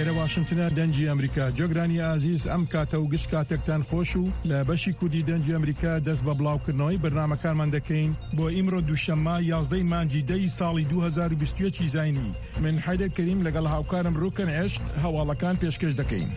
ئێرە واشنتنە دەنگی ئەمریکا جۆگرانی ئازیز ئەم کاتە و گشت کاتێکتان خۆش و لە بەشی کوردی دەنگی ئەمریکا دەست بە بڵاوکردنەوەی بەرنامەکانمان دەکەین بۆ ئیمڕۆ دووشەممە یازدەی مانگی دەی ساڵی 2021 زینی من حەیدەر کەریم لەگەڵ هاوکارم ڕوکەن عشق هەواڵەکان پێشکەش دەکەین.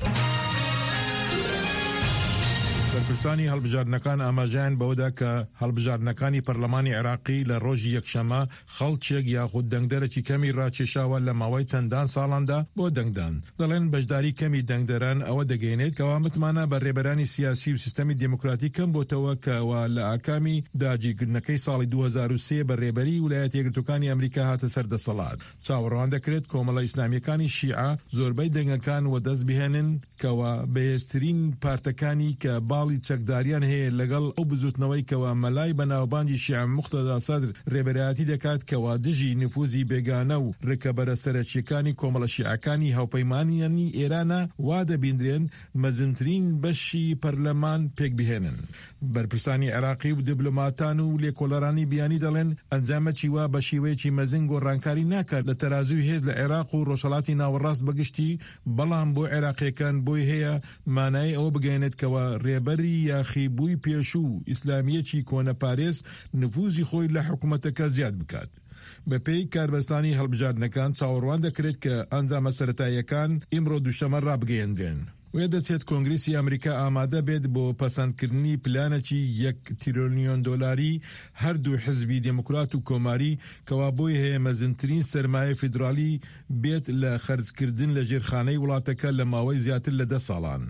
بەرپرسانی هەڵبژاردنەکان ئاماژەیان بەوەدا کە هەڵبژاردنەکانی پەرلەمانی عێراقی لە ڕۆژی یەکشەممە خەڵکێک یاخود دەنگدەرێکی کەمی ڕاکێشاوە لە ماوەی چەندان ساڵاندا بۆ دەنگدان. دەڵێن بەشداری کەمی دەنگدەران ئەوە دەگەیەنێت کەوا متمانە بە رێبەرانی سیاسی و سیستەمی دێموکراتی کەم بۆتەوە کەوا لە ئاکامی داگیرکردنەکەی ساڵی 2003 بە رێبەری ولایەتە یەکگرتووەکانی ئەمریکا هاتە سەر دەسەڵات. چاوەڕوان دەکرێت کۆمەڵە ئیسلامییەکانی شیعە زۆربەی دەنگەکان وەدەست بهێنن کەوا بەهێزترین پارتەکانی کە باڵی چەکداریان هەیە لەگەڵ ئەو بزوتنەوەی کەوا مەلای بەناوبانگی شیعە موقتەدا سەدر رێبەرایەتی دەکات کەوا دژی نفوزی بێگانە و رکەبەرە سەرەکییەکانی کۆمەڵە شیعەکانی هاوپەیمانانی ئێرانە وا دەبیندرێن مەزنترین بەشی پەرلەمان پێکبهێنن. بەرپرسانی عێراقی و دیبلۆماتان و لێکۆڵەرانی بیانی دەڵێن ئەنجامەکی وا بە شێوەیەکی مەزن گۆڕانکاری ناکات لە تەرازووی هێز لە عێراق و ڕۆژهەڵاتی ناوەڕاست بە گشتی، بەڵام بۆ عێراقییەکان بۆی هەیە مانای ئەوە بگەیەنێت کەوا رێبەری یاخیبووی پێشوو ئیسلامییەکی کۆنەپارێز نفوزی خۆی لە حکومەتەکە زیاد بکات. بەپێی کاربەستانی هەڵبژاردنەکان چاوەڕوان دەکرێت کە ئەنجامە سەرەتاییەکان ئیمڕۆ دووشەمە ڕابگەیەنرێن. وێدەچێت کۆنگرێسی ئەمریکا ئامادە بێت بۆ پەسەندکردنی پلانێکی یەک تریلیۆن دۆلاری هەردوو حزبی دێموکرات و کۆماری کەوا بۆی هەیە مەزنترین سەرمایەی فیدراڵی بێت لە خەرجکردن لە ژێرخانەی وڵاتەکە لە ماوەی زیاتر لە دە ساڵان.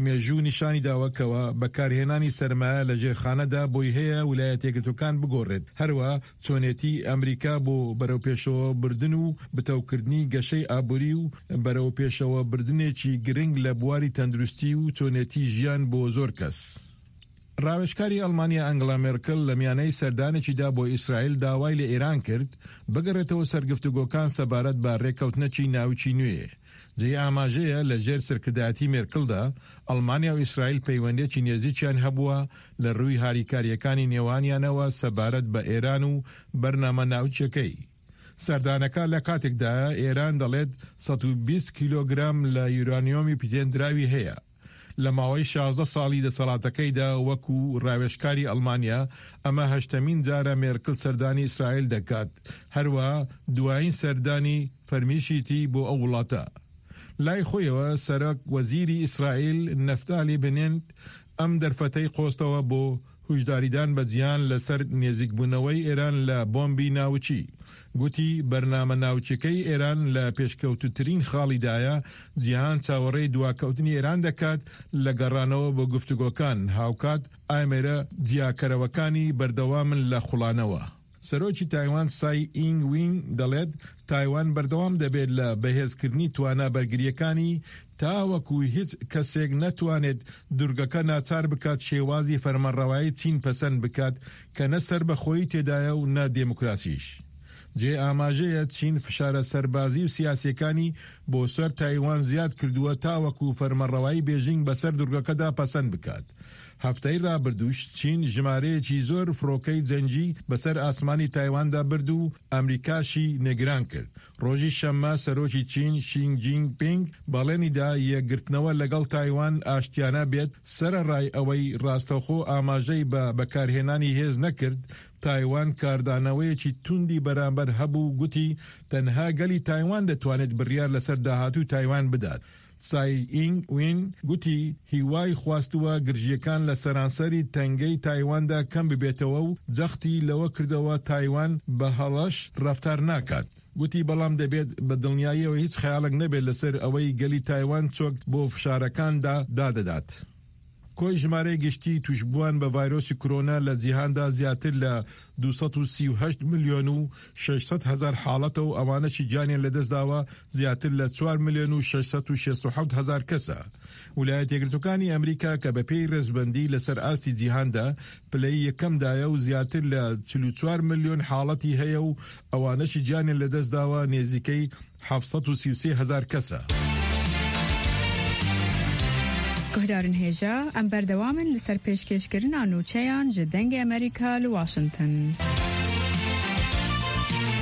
مێژوو نیشانی داوە کەوا بەکارهێنانی سەرمایە لە ژێرخانەدا بۆی هەیە ولایەتیەکگرتووەکان بگۆڕێت هەروە چۆنێتی ئەمریکا بۆ بەرەوپێشەوە بردن و بتەوکردنی گەشەی ئابوری و بەرەوپێشەوە بردنێکی گرنگ لە بواری تەندروستی و چۆنێتی ژیان بۆ زۆر کەس. ڕاوێژکاری ئەڵمانیا ئەنگڵا مێرکڵ لە میانەی سەردانێکیدا بۆ ئیسرائیل داوای لە ئێران کرد بگەڕێتەوە سەر گفتوگۆکان سەبارەت بە ڕێککەوتنەکی ناوکی نوێ. جێی ئاماژەیە لە ژێر سەرکردایەتی مێرکڵدا ئەڵمانیا و ئیسرائیل پەیوەندیەکی نێزیکیان هەبووە لە ڕووی هاریکارییەکانی نێوانیانەوە سەبارەت بە ئێران و بەرنامە ناوکیەکەی. سەردانەکە لە کاتێکدایە ئێران دەڵێت 120 کیلۆگرام لە یورانیۆمی پیتێندراوی هەیە. لە ماوەی 16 ساڵی دەسەڵاتەکەیدا وەکو ڕاوێژکاری ئەڵمانیا، ئەمە هەشتەمین جارە مێرکل سەردانی ئیسرائیل دەکات، هەروەها دوایین سەردانی فەرمیشیتی بۆ ئەو وڵاتە. لای خۆیەوە سەرۆک وەزیری ئیسرائیل نەفتالی بنێنت ئەم دەرفەتەی قۆستەوە بۆ هوشداریدان بە جیهان لەسەر نێزیکبوونەوەی ئێران لە بۆمبی ناوکی، گوتی بەرنامە ناوکیەکەی ئێران لە پێشکەوتووترین خاڵیدایە، جیهان چاوەڕێی دواکەوتنی ئێران دەکات لە گەڕانەوە بۆ گفتوگۆکان، هاوکات ئامێرە جیاکەرەوەکانی بەردەوامن لە خوڵانەوە. سەرۆکی تایوان سای ئینگ وین دەڵێت، تایوان بەردەوام دەبێت لە بەهێزکردنی توانا بەرگرییەکانی تاوەکو هیچ کەسێک نەتوانێت دورگەکە ناچار بکات شێوازی فەرمانڕەوایی چین پەسەند بکات کە نە سەربەخۆیی تێدایە و نە دێموکراسیش. جێی ئاماژەیە چین فشارە سەربازی و سیاسییەکانی بۆ سەر تایوان زیاد کردووە تاوەکو فەرمانڕەوایی بێژینگ بەسەر دورگەکەدا پەسەند بکات. هەفتەی رابردووش چین ژمارەیەکی زۆر فڕۆکەی جەنگی بەسەر ئاسمانی تایواندا برد و ئەمریکاشی نێگران کرد. رۆژی شەممە سەرۆکی چین شینگ جینگ پینگ بەڵێنی دا یەکگرتنەوە لەگەڵ تایوان ئاشتیانە بێت، سەرەڕای ئەوەی راستەوخۆ ئاماژەی بە بەکارهێنانی هێز نەکرد، تایوان کاردانەوەیەکی توندی بەرامبەر هەبوو و گوتی تەنها گەلی تایوان دەتوانێت بڕیار لەسەر داهاتووی تایوان بدات. تسای ئینگ وین گوتی هیوای خواستووە گرژییەکان لە سەرانسەری تەنگەی تایواندا کەم ببێتەوە و جەختی لەوە کردەوە تایوان بە هەڵەش ڕەفتار ناکات. گوتی بەڵام دەبێت بە دڵنیاییەوە هیچ خەیاڵێک نەبێت لەسەر ئەوەی گەلی تایوان چۆک بۆ فشارەکاندا دادەدات. کۆی ژمارەی گشتی تووشبووان بە ڤایرۆسی کرۆنا لە جیهاندا زیاتر لە 238 ملیۆن و 600 هەزار حاڵەتە و ئەوانەشی گیانیان لەدەستداوە زیاتر لە 4 ملیۆن و 667 هەزار کەسە. ولایەتە یەکگرتووەکانی ئەمریکا کە بەپێی ڕێزبەندی لەسەر ئاستی جیهاندا پلەی یەکەمدایە و زیاتر لە 44 ملیۆن حاڵەتی هەیە و ئەوانەشی گیانیان لەدەستداوە نێزیکەی 733 هەزار کەسە. Guhdarên hêja, em berdewam in li ser pêşkêşkirina nûçeyan ji Dengê Amerîka li Washington.